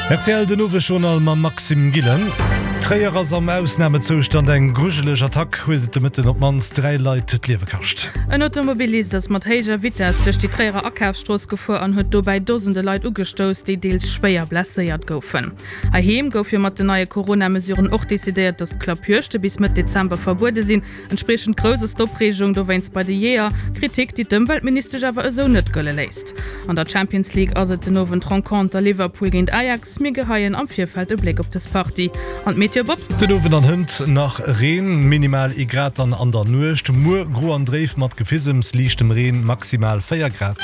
Rtl den Owesjournal mam Maxime Gillen. Tréier ass am Ausnamezoustand, Eng grujeleg Attack huet et de Mëtten op d'mannst 3 Leit d'Liewe kascht. En Automobilist ass mat héijer Vitess duerch déi Tréierer Akafsstrooss gefuer an huet dobäi Dosende Leit ugestouss, déi deels schwéier blesséiert goufen. Heiheem gouf jo mat den neie Corona-Mesuren och decidéiert, datt d'Klappjuegte bis Mëtt Dezember verbuede sinn. Entspriechend grouss ass d'Opreegung dowéinst bei de Jeeër, Kritik, déi d'Ëmweltministesch awer esou net gëlle léisst. An der Champions League ass et den Owend d'Renconter Liverpool géint Ajax. Mir geheien am Virfeld e Bléck op dës Partie. An d'Meteo Bob? Den Owend an hënt nach Reen, minimal ee Grad dann an der Nuecht. Muer gro an dréif mat Gefisems, liichtem Reen, maximal 4 Grad.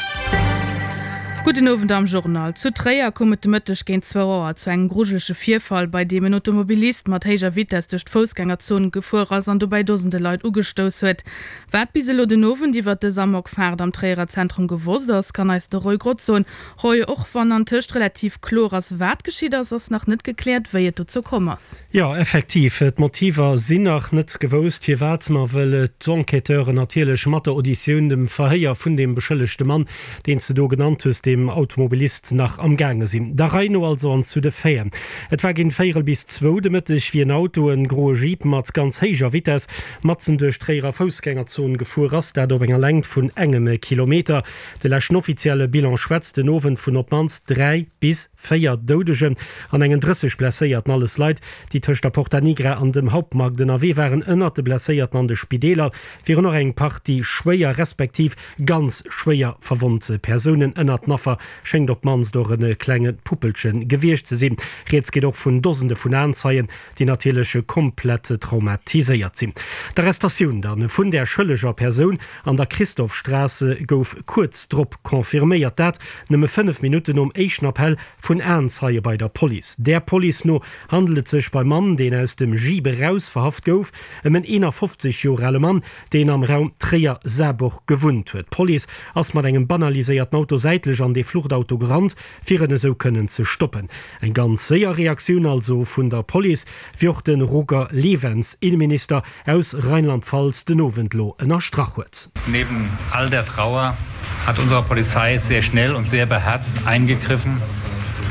Gudden Owend am Journal. Zu Tréier koum et de Mëtteg géint zwou Auer zu engem grujelege Virfall, bei deem en Automobilist mat héijer Vitess duerch d'Foussgängerzon gefuer ass an dobäi Dosende Leit ugestouss huet. Wat bis elo den Owend iwwert dës Amokfaart am Tréierer Zentrum gewosst ass, kann eis de Roy Grotz soen. Roy, och wann antëscht relativ kloer ass, wat geschitt ass, ass nach net gekläert, wéi et dozou komm ass. Jo, effektiv, d'Motiver sinn nach net gewousst, firwat. Ma wëll d'Enquêteuren natierlech mat der Auditioun, dem Verhéier vun deem beschëllegte Mann, deen s de do genannt hues, deem Automobilist, nach am gaange sinn. Der Rei no also an zu de Faiten. Et war géint véierel bis zwou de Mëtteg, wéi en Auto, en groe Jeep, mat ganz héijer Vitess matzen duerch d'Tréierer Foussgängerzon gefuer ass, dat op enger Längt vun engem Kilometer. De leschten offizielle Bilan schwätzt den Owend vun op d'mannst 3 bis. 4 Doudegen an engen 30 Blesséierten, alles Leit, déi tëscht der Porta Nigra an dem Hauptmarkt ënnerwee waren. Ënnert de Blesséierten an de Spideeler wieren och eng Partie schwéier respektiv ganz schwéier verwonnt Persounen. Ënnert den Affer schéngt op d'mannst och e klenge Puppelche gewiescht ze sinn. Rieds geet och vun Dosende vun Aenzeien, déi natierlech komplett traumatiséiert sinn. D'Arrestatioun dann vun där schëlleger Persoun an der Christophstraße gouf kuerz drop confirméiert, dat nëmme 5 Minutten nom éischten Appell vun Aenzeie bei der Police. Der Police no handelt et sech beim Mann, deen aus dem Jeep eraus verhaft gouf, ëm en 51 Joer ale Mann, deen am Raum Tréier-Saarburg gewunnt huet. D'Police ass mat engem banaliséierten Auto säitlech an dee Fluchtauto gerannt, fir en esou kënnen ze stoppen. Eng ganz séier Reaktioun also vun der Police, wéi och de Roger Lewens, Inneminister aus Rheinland-Pfalz, den Owend lo ënnerstrach huet. Neben all der Trauer hat unsere Polizei sehr schnell und sehr beherzt eingegriffen.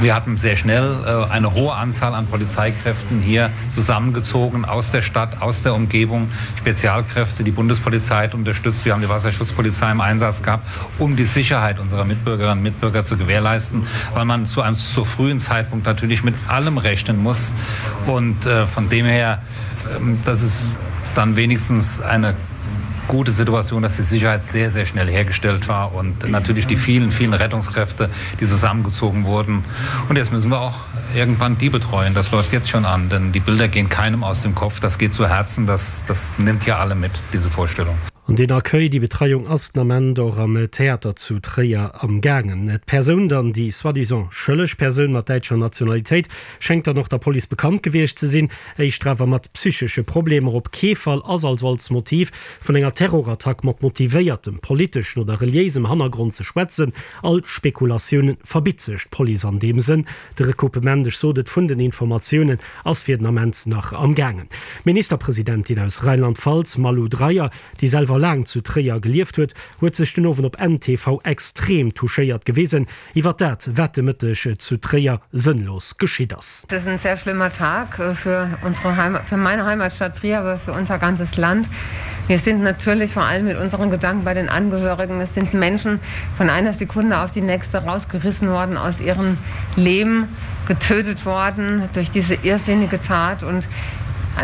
Wir hatten sehr schnell eine hohe Anzahl an Polizeikräften hier zusammengezogen aus der Stadt, aus der Umgebung, Spezialkräfte, die Bundespolizei hat unterstützt, wir haben die Wasserschutzpolizei im Einsatz gehabt, um die Sicherheit unserer Mitbürgerinnen und Mitbürger zu gewährleisten, weil man zu einem zu frühen Zeitpunkt natürlich mit allem rechnen muss. Und äh, von dem her, äh, das ist dann wenigstens eine gute Situation, dass die Sicherheit sehr, sehr schnell hergestellt war und natürlich die vielen, vielen Rettungskräfte, die zusammengezogen wurden. Und jetzt müssen wir auch irgendwann die betreuen. Das läuft jetzt schon an, denn die Bilder gehen keinem aus dem Kopf. Das geht zu Herzen, das, das nimmt ja alle mit, diese Vorstellung. An deen Accueil, déi Betreiung ass den Ament och am Theater zu Tréier am gaangen. D'Persoun dann, déi soi-disant schëlleg Persoun mat däitscher Nationalitéit, schéngt dann och der Police bekannt gewiescht ze sinn, éischter awer mat psychesche Problemer. Op kee Fall ass also als Motiv vun enger Terrorattack mat motivéiertem politeschen oder reliéisem Hannergrond ze schwätzen. All Spekulatioune verbitt sech d'Police an deem Sënn. De Recoupement, ech sot et, vun den Informatiounen ass fir den Ament nach am gaangen. D'Ministerpresidentin aus Rheinland-Pfalz, Malu Dreyer, déi selwer laang zu Tréier gelieft huet, huet sech den Owend op n-tv extrem touchéiert gewisen iwwer dat, wat de Mëtteg zu Tréier sënnlos geschitt ass. Es ist ein sehr schlimmer Tag für unsere Heimat, für meine Heimatstadt Trier, aber für unser ganzes Land. Wir sind natürlich vor allem mit unseren Gedanken bei den Angehörigen. Es sind Menschen von einer Sekunde auf die nächste rausgerissen worden aus ihrem Leben, getötet worden durch diese irrsinnige Tat und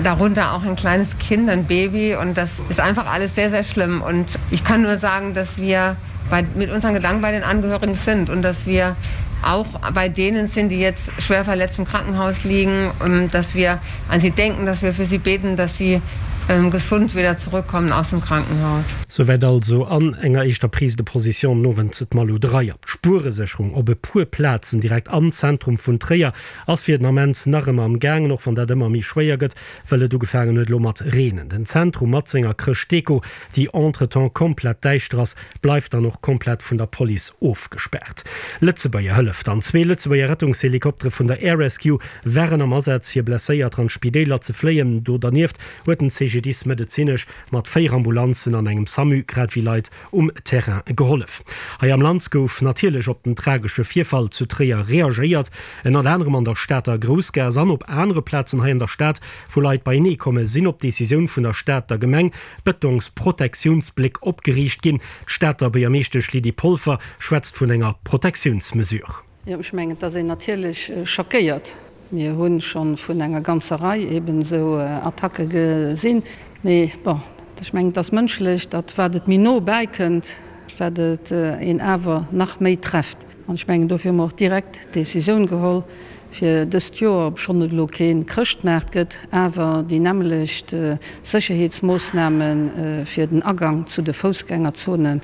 darunter auch ein kleines Kind, ein Baby und das ist einfach alles sehr, sehr schlimm. Und ich kann nur sagen, dass wir bei, mit unseren Gedanken bei den Angehörigen sind und dass wir auch bei denen sind, die jetzt schwer verletzt im Krankenhaus liegen, und dass wir an sie denken, dass wir für sie beten, dass sie ähm, gesund wieder zurückkommen aus dem Krankenhaus. Souwäit also an enger éischter Prise de position den Owend d'Malou Dreyer. D'Spueresécherung op e puer Plazen direkt am Zentrum vun Tréier ass fir den Ament nach ëmmer am gaangen, och wann dat ëmmer méi schwéier gëtt, well et ugefaangen huet elo mat reenen. Den Zentrum mat senger Chrëschtdeko, déi entretemps komplett däischter ass, bleift dann och komplett vun der Police ofgespaart. Lëtzebuerger Hëllef dann, Zwee Lëtzebuerger Rettungshelikoptere vun der Air Rescue waren am Asaz fir Blesséierter an d'Spidéiler ze fléien. Do dernieft huet den CGDIS. CGDIS medezinesch mat 4 Ambulanzen an engem SAMU, grad ewéi Leit um Terrain gehollef. Hei am Land gouf natierlech op den tragesche Virfall zu Tréier reagéiert, ënnert anerem an der Stater Groussgaass an op anere Plazen hei an der Stad, wou Leit beienee komme sinn op Decisioun vun der Stater Gemeng Betonsprotektiounsbléck opgeriicht ginn. D'Stater Buergermeeschtesch Lydie Polfer schwätzt vun enger Protektiounsmesure. Jo, ech mengen, et ass een natierlech schockéiert. Mir hu scho vun enger ganzer Rei eben esou Attacke gesinn. Mee bon, ech mengen, et ass mënschlech, datt wat et méi no bäikënnt, wat et een awer nach méi trefft. An ech mengen, dofir hu mer och direkt d'Decisioun geholl, fir dëst Joer, obschonn et elo kee Chrëschtmaart gëtt, awer déi nämmelecht Sécherheetsmoossname fir den Agang zu de Foussgängerzonen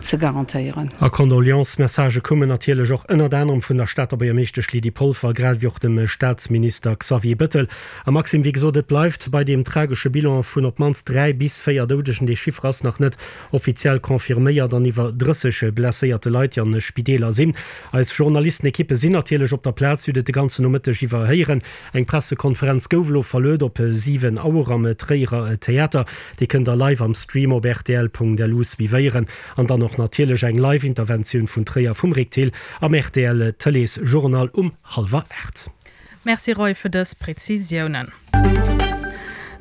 ze garantéieren. A Condoleances-Messagë koumen natierlech och ënnert anerem vun der Stater Buergermeeschtesch Lydie Polfer, grad ewéi och dem Staatsminister Xavier Bettel. A Maxime, wéi gesot, et bleift bei deem tragesche Bilan vun op d'mannst 3 bis 4 Doudegen, dee Chiffre ass nach net offiziell confirméiert, an iwwer 30 blesséierte Leit, déi an de Spideeler sinn. Eis Journalistenekippe sinn natierlech op der Plaz, déi hutt et de ganzen Nomëtteg iwwer héieren. Eng Pressekonferenz gouf elo verluet op 7 Auer am Tréierer Theater. Déi kënnt der live am Stream op rtl.lu suivéieren. An dann och natierlech eng live Interventioun vun Tréier vum Rick Thill am rtl Tëlees Journal um hallwer 8. Merci Roy fir dës Präzisiounen.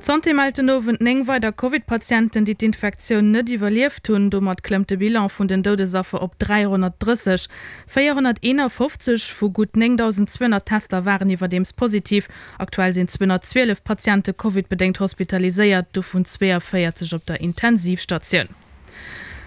D'Santé mellt den Owend 9 weider Covid-Patienten, déi d'Infektioun net iwwerlieft hunn. Domat klëmmt de Bilan vun den Doudesaffer op 330. 451 vu gutt 9.200 Tester waren iwwerdeems positiv. Aktuell sinn 212 Patiente Covid-bedéngt hospitaliséiert, dovun 42 op der Intensivstatioun.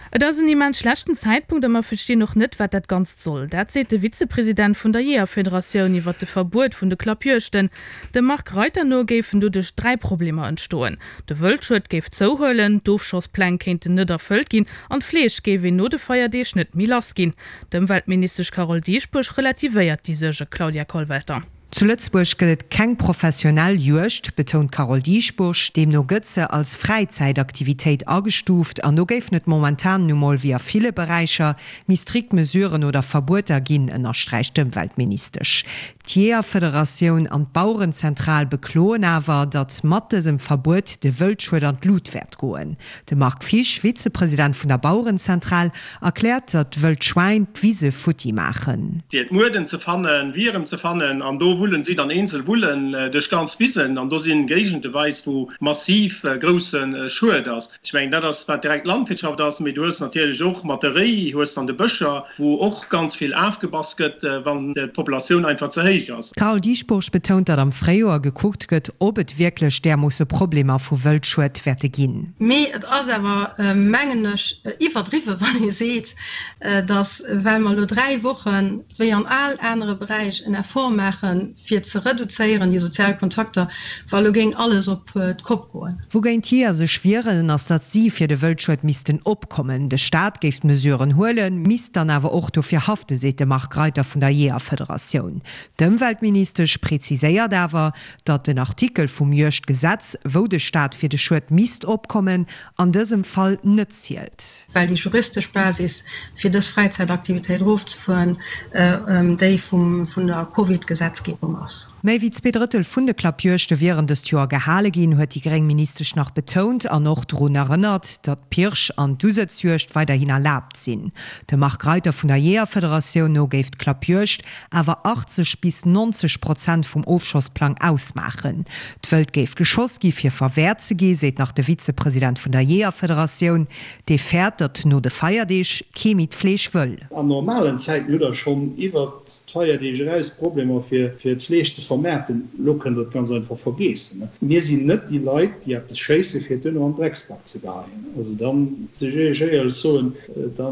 Et ass en immens schlechten Zäitpunkt a mer verstinn och net, wat dat Ganzt soll. Dat seet de Vizepresident vun der Jeeërfederatioun iwwer de Verbuet vun de Klappjuegten. Dem Marc Reiter no géifen doduerch 3 Problemer entstoen, De Wëldschued géif zouhuelen, d'Ofschosspläng kéinten net erfëllt ginn an d'Fleesch géif een no de Feierdeeg net méi lass ginn. D'Ëmweltministesch Carole Dieschbourg relativéiert déi Suerge. Claudia Kollwelter. Zu Lëtzebuerg gëtt et keng professionell Juegd, betount d'Carole Dieschbourg. Deemno gëtt se als Fräizäitaktivitéit agestuuft an do géifen et momentan nu mol, wéi a ville Beräicher, méi strikt Mesuren oder Verbueter ginn, ënnersträicht d'Ëmweltministesch. D'Jeeërfederatioun an d'Bauerenzentral bekloen awer, datt mat dësem Verbuet de Wëldschued an d'Lut wäert goen. De Marc Fisch, Vizepresident vun der Bauerenzentral, erkläert, datt wëll d'Schwäin d'Wise futti maachen. Fir d'Mueden ze fannen, Wierem ze fannen, an do wullen si dann eenzel Vullen duerch ganz Wisen, an do sinn Géigende weis wou massiv grousse Schued ass. Ech mengen dat ass wat direkt Landwirtschaft ass, mee du hues natierlech och mat de Réi hues dann de Bëscher, wou och ganz vill afgebass gëtt, wann d'Populatioun einfach ze héich ass. D'Carole Dieschbourg betount, datt am Fréijoer gekuckt gëtt, ob et wierklech därmoosse Problemer vu Wëldschued wäerte ginn. Mee et ass awer, mengen ech, iwwerdriwwen, wann ee seet, datt, well mer elo dräi Wochen, wéi an all anere Beräich, en Effort maachen, fir ze reduzéieren, déi sozial Kontakter, wa elo géing alles op d'Kopp goen. Wougéint d'Jeeër sech wieren, ass, datt si fir de Wëldschued missten opkommen. De Staat géif d'Mesuren huelen, misst dann awer och dofir haften, seet de Marc Reiter vun der Jeeërfederatioun. D'Ëmweltministesch präziséiert awer, datt den Artikel vum Juegdgesetz, wou de Staat fir de Schued misst opkommen, an dësem Fall net zielt. Well déi juristesch Basis, fir dës Fräizäitaktivitéit erofzefueren, déi vun der Covid-Gesetzgebung ass. Méi wéi zweedrëttel vun de Klappjuegte wieren dëst Joer gehale ginn, huet déi gréng Ministesch nach betount an och drun erënnert, datt d'Pirsch an d'Usëtzjuegd weiderhin erlaabt sinn. Dem Marc Reiter vun der Jeeërfederatioun no géif d'Klappjuegd awer 80 bis 90 Prozent vum Ofschossplang ausmaachen. D'Wëld géif geschoss gi fir verwäert ze gi, seet nach de Vizepresident vun der Jeeërfederatioun. Dee fäert, datt no de Feierdeeg kee méi d'Fleesch wëll. An normalen Zäiten hutt der schonn iwwert d'Feierdeeg eraus Problemer fir d'Fleesch ze vermaarten. Elo kënnt der et ganz einfach vergeessen. Mir sinn net déi Leit, déi eppes schéisse fir et duerno an den Drecksbac ze geheien. Also da muss ech Iech éierlech soen, Da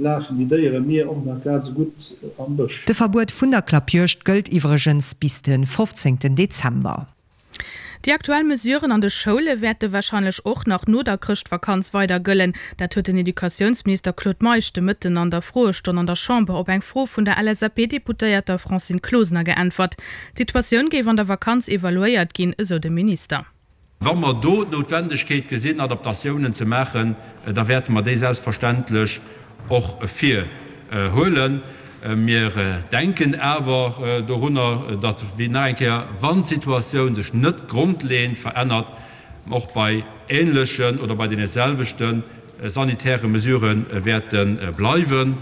lafen déi Déiere mir och nach grad esou gutt am Bësch. De Verbuet vun der Klappjuegd gëllt iwwregens bis de 15 Dezember. Déi aktuell Mesuren an de Schoule wäerte warscheinlech och nach no der Chrëschtvakanz weider gëllen. Dat huet den Educatiounsminister Claude Meisch de Mëtten an der Froestonn an der Chamber op eng Fro vun der LSAP-Deputéierter Francine Closener geäntwert. D'Situatioun géif an der Vakanz evaluéiert ginn, esou de Minister. Wa mer do d'Noutwendegkeet gesinn, Adaptatiounen ze maachen, da wäerte mer déi selbstverständlech och virhuelen. Mir denken awer dorunner, datt, wéi nach eng Kéier, wann d'Situatioun sech net grondleeënd verännert. och bei ähnlechen oder bei deene selwechte sanitäre Mesurë wäerte bleiwen,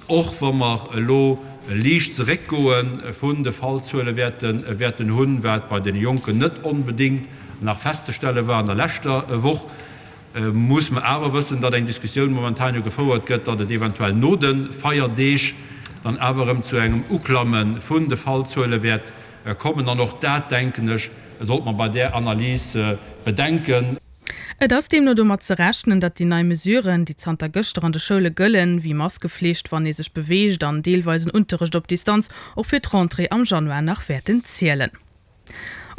och wa mer elo e liicht Zeréckgoe vun de Fallzuele wäerten hunn, wat bei deene Jonken net onbedéngt nach festzestelle war an der leschter Woch. Muss mer awer wëssen, datt eng Diskussioun momentan jo gefouert gëtt, datt et eventuell no de Feierdeeg dann awer erëm zu engem Uklamme vun de Fallzuele wäert kommen. An och dat, denken ech, sollt mer bei där Analys bedenken. Et ass deemno domat ze rechnen, datt déi nei Mesuren, déi zanter gëschter an de Schoule gëllen, wéi Maskeflicht, wann ee sech beweegt an deelweisen Unterrecht op Distanz, och fir d'Rentrée am Januar nach wäerten zielen.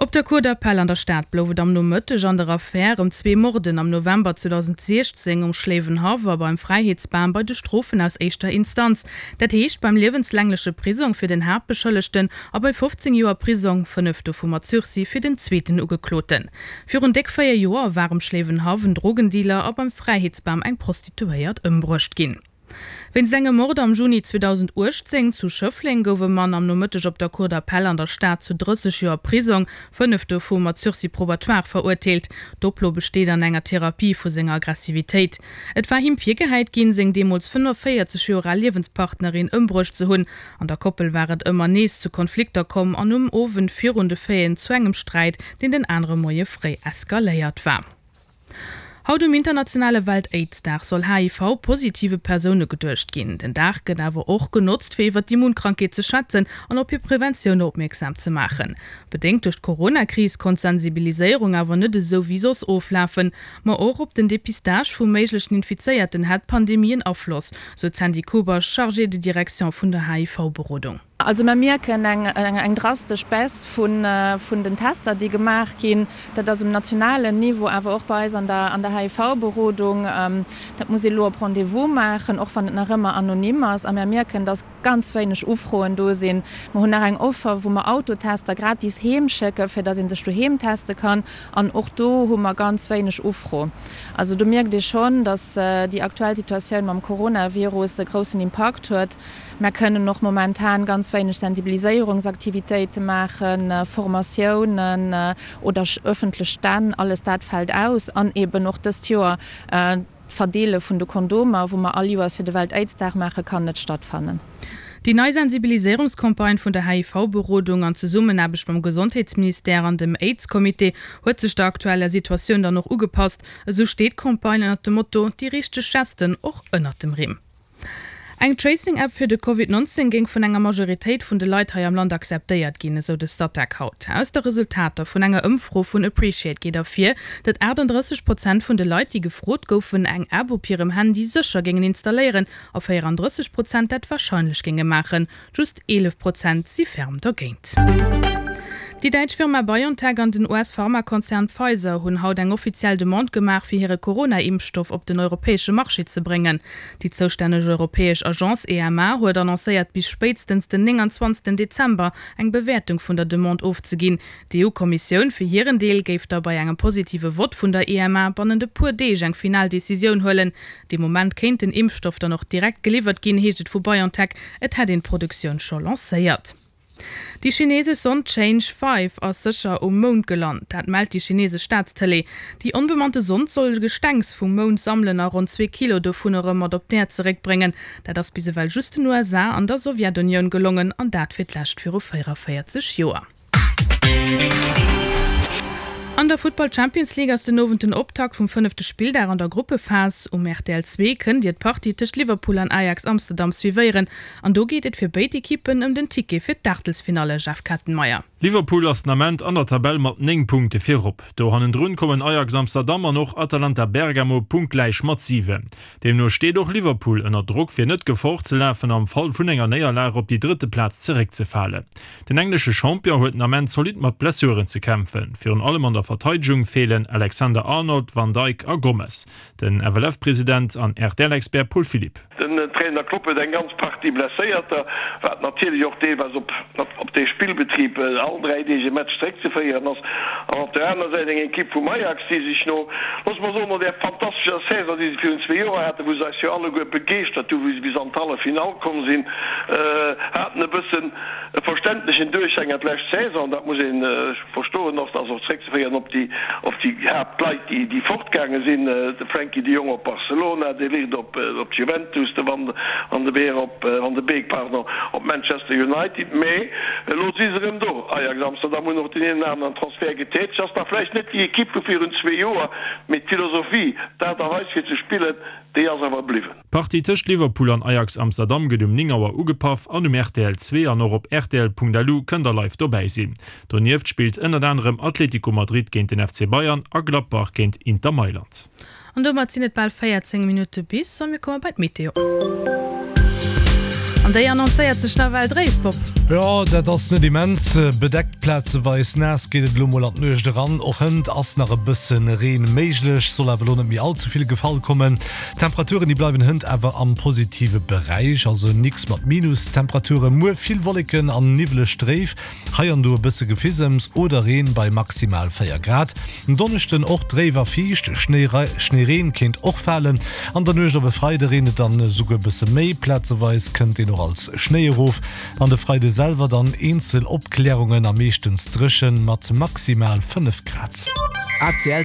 Op der Cour d'appel an der Stad blouf et am Nomëtteg an der Affär ëm zwee Morden am November 2016 um Schléiwenhaff a beim Fräiheetsbam bei de Strofen aus éischter Instanz, dat heescht beim liewenslängleche Prisong fir den Haaptbeschëllegten a bei 15 Joer Prisong, 5 dovu mat Sursis, fir den zweeten Ugekloten. Virun déck 4 Joer war um Schléiwenhaff en Drogendealer a beim Fräiheetsbam eng Prostituéiert ëmbruecht ginn. Wéinst engem Mord am Juni 2018 zu Schëffleng gouf e Mann am Nomëtteg op der Cour d'appel an der Stad zu 30 Joer Prisong, 5 dovu mat Sursis probatoire, verurteelt. D'Oplo besteet an enger Therapie vu senger Aggressivitéit. Et war him virgehäit ginn, seng deemools 45 Joer al Liewenspartnerin ëmbruecht ze hunn. An der Koppel war et ëmmer nees zu Konflikter komm an um Owend virun de Faiten zu engem Sträit, deen den anere Moie fréi eskaléiert war. Haut um internationale Welt-Aids-Dag soll HIV-positive Persoune geduecht ginn. Den Dag gëtt awer och genotzt, fir iwwer d'Immunkrankheet ze schwätzen an op hir Preventioun opmierksam ze maachen. Bedéngt duerch d'Corona-Kris konnt d'Sensibiliséierung awer net esou wéi soss oflafen. Ma och op den Depistage vu méiglechen Infizéierten hätt d'Pandemie en Afloss, sou d'Sandy Kober, Chargée de direction vun der HIV-Berodung. Also mer mierken eng drastesch Baisse vun den Tester, déi gemaach ginn. Dat ass um nationalen Niveau, awer och bei eis an der HIV-Berodung. Dat muss ee elo op Rendez-vous maachen, och wann et nach ëmmer anonym ass. A mer mierken, dass ganz wéineg Ufroen do sinn. Mer hunn nach eng Offer, wou mer Autotester gratis heem schécken, fir dass ee sech doheem teste kann. An och do hu mer ganz wéineg Ufro. Also do mierkt ee schonn, dass déi aktuell Situatioun mam Coronavirus e groussen Impakt huet. Mär kënnen och momentan ganz wéineg Sensibiliséierungsaktivitéite maachen, Formatiounen oder ëffentlech Stänn, alles dat fält aus. An eben och dëst Joer d'Verdeele vun de Kondomer, wou mer all Joers fir de Welt-Aids-Dag maachen, kann net stattfannen. Déi nei Sensibiliséierungscampagne vun der HIV-Berodung an Zesummenaarbecht mam Gesondheetsministère an dem Aids-Comité huet sech der aktueller Situatioun dann och ugepasst. Esou steet d'Campagne ënnert dem Motto Déi richteg Gesten och ënnert dem Rimm. Eng Tracing-App fir de Covid 19 géing vun enger Majoritéit vun de Leit hei am Land akzeptéiert ginn, esou de Statec haut. Aus de Resultater vun enger Ëmfro vun Appreciate geet ervir, datt 38 Prozent vun de Leit, déi gefrot goufen, eng App op hirem Handy sécher géingen installéieren a 34 Prozent dat warscheinlech géinge maachen. Just 11 Prozent si ferm dergéint. Déi däitsch Firma BioNTech an den US-Pharmakonzern Pfizer hunn haut eng offiziell Demande gemaach, fir hire Corona-Impfstoff op den europäesche Marché ze bréngen. Déi zoustänneg europäesch Agence EMA huet annoncéiert, bis spéitstens den 29 Dezember eng Bewäertung vun der Demande ofzeginn. D'EU-Kommissioun fir hiren Deel géif da bei engem positive Vott vun der EMA bannent e puer Deeg eng final Decisioun huelen. Dee Moment kéint den Impfstoff dann och direkt geliwwert ginn, heescht et vu BioNTech. Et hätt een d'Produktioun scho lancéiert. Déi chinesesch Sond Chang'e 5 ass sécher um Mound gelant. Dat mellt déi chinesesch Staatstëlee. Déi onbemannte Sond soll Gestengs vum Mound sammelen a ronn zwee Kilo dovun erëm mat op d'Äerd zeréckbréngen. Dat ass bis ewell just den USA an der Sowjetunioun gelongen, an dat fir d'lescht viru 44 Joer. An der Futtball Champions League ass den Owend den Optakt vum fënnefte Spilldag an der Gruppephas. Um rtl 2 kënnt Dir d'Partie tëscht Liverpool an Ajax Amsterdam suivéieren an do geet et fir béid Ekippen ëm den Ticket fir d'Aachtelsfinalle. Jeff Kettenmeyer. Liverpool ass den Ament an der Tabell mat 9 Punkte virop. Do hannendrun kommen Ajax Amsterdam an och Atalanta Bergamo punktgläich mat 7. Deemno steet och Liverpool ënner Drock fir net Gefor ze lafen am Fall vun enger Néierlag op déi drëtte Plaz zeréckzefalen. Den englesche Champion huet den Ament zolidd mat Blessuren ze kämpfen. Virun allem an der Verteidegung feelen Alexander-Arnold, Van Dijk a Gomez. Den FLF-President an RTL-Expert Paul Philipp. Den Trainer Klopp huet eng ganz Partie Blesséierter, wat natierlech och deelweis op op de Spillbetrib. all 3 Deeg e Match zeréckzeféieren ass. An op der aner Säit eng Ekipp vum Ajax, déi sech no, loosse mer soen, no där fantastescher Saison, déi se virun zwee Joer haten, wou se eis jo alleguer begeeschtert hu wou se bis an d'Halleffinall komm sinn, haten e bëssen e verständlechen Duerchhänger d'lescht Saison, dat muss ee verstoen och, ass och zréckzeféieren op déi op déi Haaptleit, déi déi fortgaange sinn, de Frenkie de Jong op Barcelona, de Ligt op op d'Juventus, de Van van de Beer op Van de Beek, pardon, op Manchester United. Mee elo si se erëm do, Ajax Amsterdam hunn och deen een oder aneren Transfert getätegt, ass nach vläicht net déi Ekipp vu virun zwee Joer, mee d'Philosophie, d'Aart a Weis fir ze spillen, déi ass awer bliwwen. D'Partie tëscht Liverpool an Ajax Amsterdam gëtt um 9 Auer ugepaff an um rtl 2 an och op rtl.lu kënnt der live dobäi sinn. Donieft spillt ënnert anerem Atletico Madrid géint den FC Bayern a Gladbach géint Inter Mailand. An domat sinn et bal 14 Minutte bis a mir komme bei d'Meteo. An déi annoncéiert sech nawell dréif, Bob. Jo, dat ass net immens bedeckt, plazeweis naass geet et elo mol an d'Nuecht eran. Och hënt ass nach e bësse Reen méiglech, soll awer elo net méi all ze vill gefall kommen. D'Temperaturen déi bleiwen hënt awer am positive Beräich, also nix mat Minustemperaturen. Muer vill Wolleken an niwweleg dréif, hei an do e bësse Gefisems oder Reen bei maximal 4 Grad. En Donneschden och dréif a fiicht, Schnéireen kéint och falen. An der Nuecht op e Freide reent et dann esouguer e bësse méi, plazeweis kënnt deen och als Schnéi erof. An de Freide selwer dann eenzel Opklärungen a meeschtens dréchen mat maximal 5 Grad. ACL.